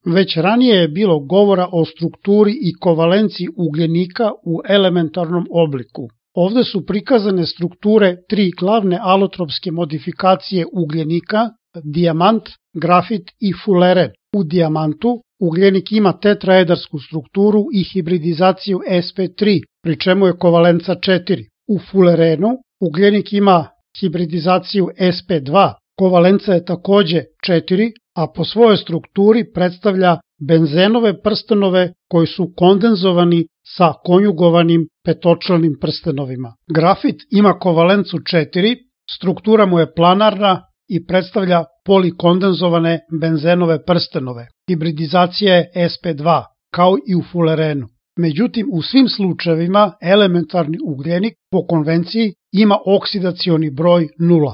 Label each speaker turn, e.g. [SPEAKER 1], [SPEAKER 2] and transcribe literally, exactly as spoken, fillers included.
[SPEAKER 1] Već ranije je bilo govora o strukturi i kovalenciji ugljenika u elementarnom obliku. Ovde su prikazane strukture tri glavne alotropske modifikacije ugljenika, dijamant, grafit i fuleren. U dijamantu ugljenik ima tetraedarsku strukturu i hibridizaciju S P tri, pri čemu je kovalenca četiri. U fulerenu ugljenik ima hibridizaciju S P dva, kovalenca je takođe četiri, a po svojoj strukturi predstavlja benzenove prstenove koji su kondenzovani sa konjugovanim petočlanim prstenovima. Grafit ima kovalencu četiri, struktura mu je planarna i predstavlja polikondenzovane benzenove prstenove. Hibridizacija je S P dva, kao i u fulerenu. Međutim, u svim slučajevima elementarni ugljenik po konvenciji ima oksidacioni broj nula.